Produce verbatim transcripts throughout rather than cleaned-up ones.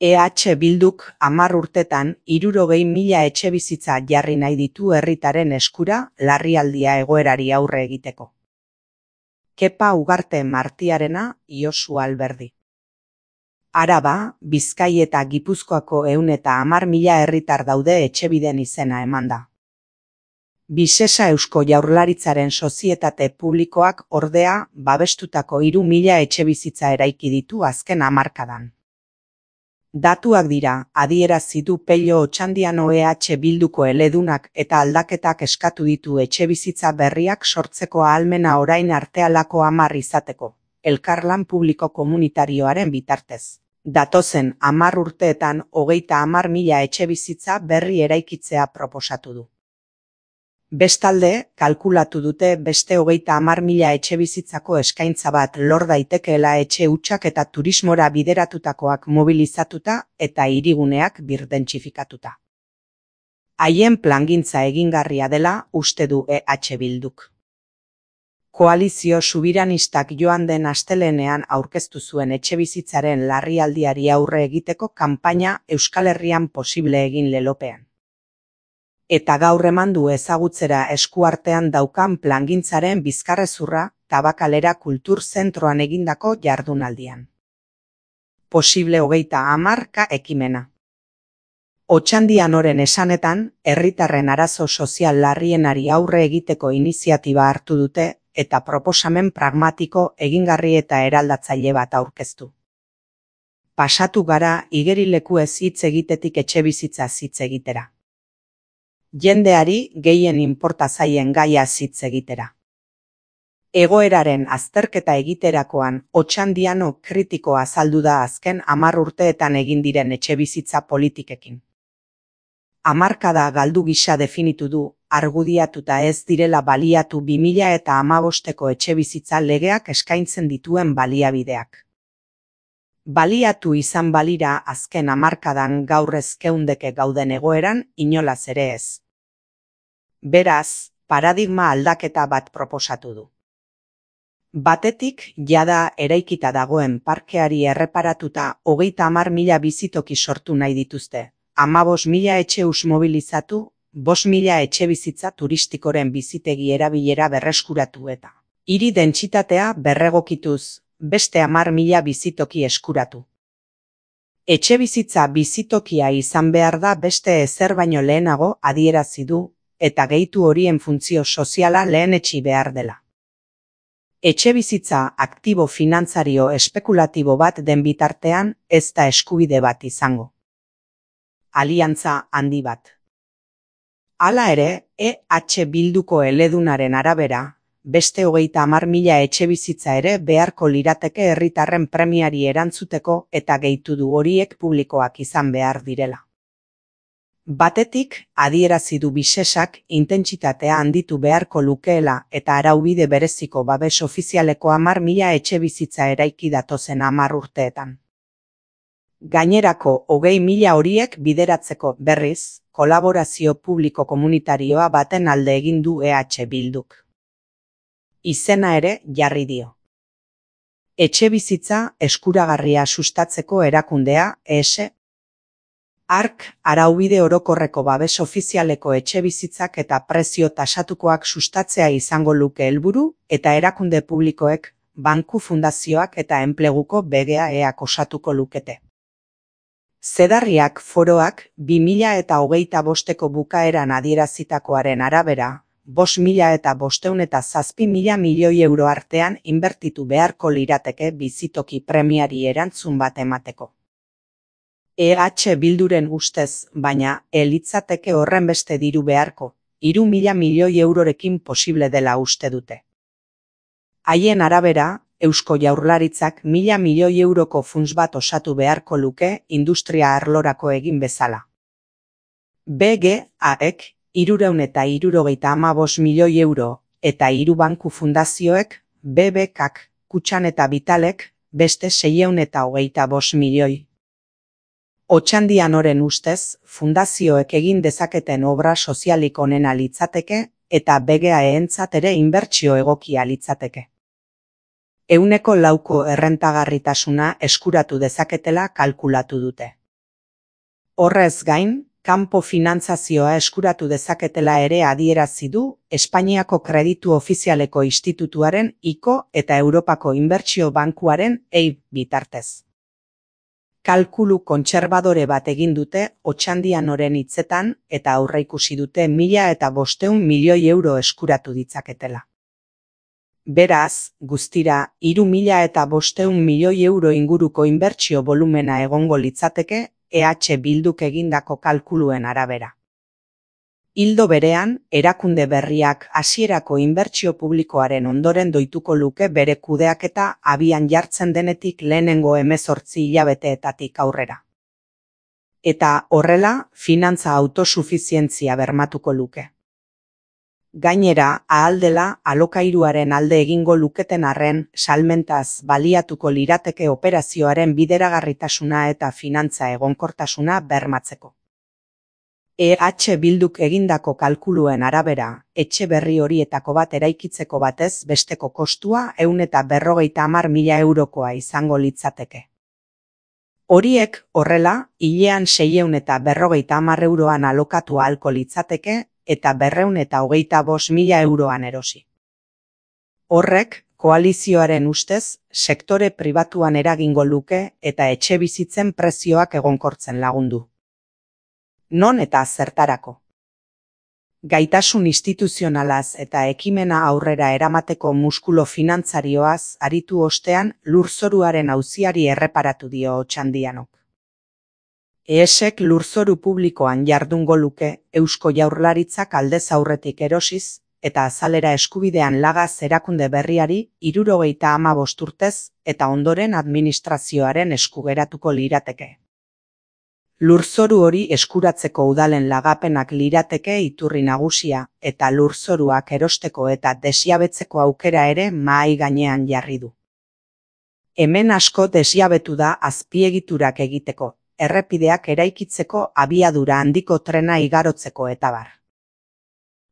E H Bilduk hamar urtetan hirurogei mila etxebizitza jarri nahi ditu herritarren eskura larrialdia egoerari aurre egiteko. Kepa Ugarte Martiarena, Josu Alberdi. Araba, Bizkai eta Gipuzkoako ehun eta hamar mila herritar daude etxebiden izena emanda. Bisesa Eusko Jaurlaritzaren sozietate publikoak ordea babestutako hiru mila etxebizitza eraiki ditu azken hamarkadan. Datuak dira, adierazi du Pello Otxandiano E H Bilduko eledunak eta aldaketak eskatu ditu etxebizitza berriak sortzeko ahalmena orain arte halako hamar izateko, elkarlan publiko komunitarioaren bitartez. Datozen hamar urteetan hogeita hamar mila etxebizitza berri eraikitzea proposatu du. Bestalde, kalkulatu dute beste hogeita hamar mila etxebizitzako eskaintza bat lor daitekeela etxe hutsak eta turismora bideratutakoak mobilizatuta eta hiriguneak birdentsifikatuta. Haien plangintza egingarria dela uste du E H Bilduk. Koalizio subiranistak joan den astelehenean aurkeztu zuen etxebizitzaren larrialdiari aurre egiteko kanpaina Euskal Herrian posible egin lelopean. Eta gaur eman du ezagutzera eskuartean daukan plangintzaren bizkarrezurra Tabakalera Kultur Zentroan egindako jardunaldian. Posible hogeita hamarka ekimena. Otxandianoren esanetan, herritarren arazo sozial larrienari aurre egiteko iniziatiba hartu dute eta proposamen pragmatiko, egingarri eta eraldatzaile bat aurkeztu. Pasatu gara igerilekuez hitz egitetik etxebizitza hitz egitera. Jendeari gehien inporta zaien gaia hitz egitera. Egoeraren azterketa egiterakoan Otxandiano kritiko azaldu da azken hamar urteetan egin diren etxebizitza politikekin. Hamarkada galdu gisa definitu du, argudiatuta ez direla baliatu bi mila eta hamabosteko etxebizitza legeak eskaintzen dituen baliabideak. Baliatu izan balira azken hamarkadan gaur ez geundeke gauden egoeran inolaz ere ez. Beraz, paradigma aldaketa bat proposatu du. Batetik, jada eraikita dagoen parkeari erreparatuta hogeita hamar mila bizitoki sortu nahi dituzte, hamabost mila etxe hus mobilizatu, bost mila etxe bizitza turistikoren bizitegi erabilera berreskuratu eta hiri dentsitatea berregokituz, beste hamar mila bizitoki eskuratu. Etxe bizitza bizitokia izan behar da beste ezer baino lehenago adierazi du, eta gehitu horien funtzio soziala lehenetsi behar dela. Etxe bizitza aktibo finantzario espekulatibo bat den bitartean ez da eskubide bat izango. Aliantza handi bat. Hala ere, E H Bilduko eledunaren arabera, beste hogeita hamar mila etxebizitza ere beharko lirateke herritarren premiari erantzuteko eta gehitu du horiek publikoak izan behar direla. Batetik, adierazi du Bisesak intentsitatea handitu beharko lukeela eta araubide bereziko babes ofizialeko hamar mila etxebizitza eraiki datozen hamar urteetan. Gainerako hogei mila horiek bideratzeko berriz, kolaborazio publiko komunitarioa baten alde egin du E H Bilduk. Izena ere jarri dio. Etxebizitza eskuragarria sustatzeko erakundea E S. Ark, araubide orokorreko babes ofizialeko etxebizitzak eta prezio tasatukoak sustatzea izango luke helburu eta erakunde publikoek, banku fundazioak eta enpleguko B G A eak osatuko lukete. Zedarriak foroak bi mila eta hogeita bosteko bukaeran adierazitakoaren arabera, bost mila eta bosteun eta zazpi mila milioi euro artean inbertitu beharko lirateke bizitoki premiari erantzun bat emateko. E H Bilduren ustez, baina, elitzateke horren beste diru beharko, hiru mila milioi eurorekin posible dela uste dute. Haien arabera, Eusko Jaurlaritzak mila milioi euroko funts bat osatu beharko luke industria arlorako egin bezala. B G A-ek hirurehun eta hirurogeita hamabost milioi euro eta hiru banku fundazioek, B B K-ak, Kutxan eta Vitalek, beste seiehun eta hogeita bost milioi. Otxandianoren ustez, fundazioek egin dezaketen obra sozialik onena litzateke eta B G A-entzat ere inbertsio egokia litzateke. Ehuneko lauko errentagarritasuna eskuratu dezaketela kalkulatu dute. Horrez gain, kanpo finantzazioa eskuratu dezaketela ere adierazi du Espainiako Kreditu Ofizialeko Institutuaren I C O eta Europako Inbertsio Bankuaren E I B bitartez. Kalkulu kontserbadore bat egin dute Otxandianoren hitzetan eta aurreikusi dute mila eta bostehun milioi euro eskuratu ditzaketela. Beraz, guztira, hiru mila eta bostehun milioi euro inguruko inbertsio volumena egongo litzateke E H Bilduk egindako kalkuluen arabera. Ildo berean, erakunde berriak hasierako inbertsio publikoaren ondoren doituko luke bere kudeaketa abian jartzen denetik lehenengo hemezortzi hilabeteetatik aurrera. Eta horrela, finantza autosufizientzia bermatuko luke. Gainera, ahal dela alokairuaren alde egingo luketen arren salmentaz baliatuko lirateke operazioaren bideragarritasuna eta finantza egonkortasuna bermatzeko. E H Bilduk egindako kalkuluen arabera, etxe berri horietako bat eraikitzeko batez besteko kostua ehun eta berrogeita hamar mila eurokoa izango litzateke. Horiek, horrela, hilean seiehun eta berrogeita hamar euroan alokatu ahalko litzateke eta berrehun eta hogeita bost mila euroan erosi. Horrek, koalizioaren ustez, sektore pribatuan eragingo luke eta etxe bizitzen prezioak egonkortzen lagundu. Non eta zertarako? Gaitasun instituzionalaz eta ekimena aurrera eramateko muskulu finantzarioaz aritu ostean lurzoruaren auziari erreparatu dio Otxandianok. E S Ek lurzoru publikoan jardungo luke Eusko Jaurlaritzak aldez aurretik erosiz eta azalera eskubidean lagaz erakunde berriari hirurogeita hamabost urtez eta ondoren administrazioaren esku geratuko lirateke. Lurzoru hori eskuratzeko udalen lagapenak lirateke iturri nagusia eta lurzoruak erosteko eta desjabetzeko aukera ere mahai gainean jarri du. Hemen asko desjabetu da azpiegiturak egiteko, errepideak eraikitzeko abiadura handiko trena igarotzeko eta bar.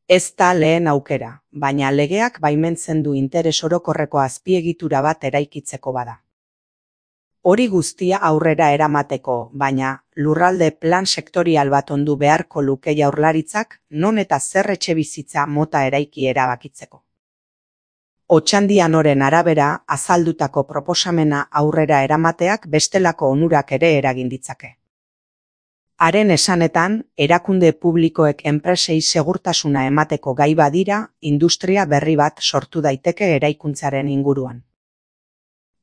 Ez da lehen aukera, baina legeak baimentzen du interes orokorreko azpiegitura bat eraikitzeko bada. Hori guztia aurrera eramateko, baina lurralde plan sektorial bat ondu beharko luke Jaurlaritzak non eta zer etxebizitza mota eraiki erabakitzeko. Otxandianoren arabera azaldutako proposamena aurrera eramateak bestelako onurak ere eragin ditzake. Haren esanetan, erakunde publikoek enpresei segurtasuna emateko gai badira, industria berri bat sortu daiteke eraikuntzaren inguruan.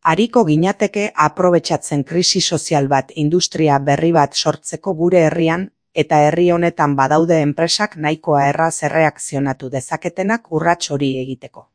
Hariko ginateke aprobetxatzen krisi sozial bat industria berri bat sortzeko gure herrian eta herri honetan badaude enpresak nahikoa erraz erreakzionatu dezaketenak urrats hori egiteko.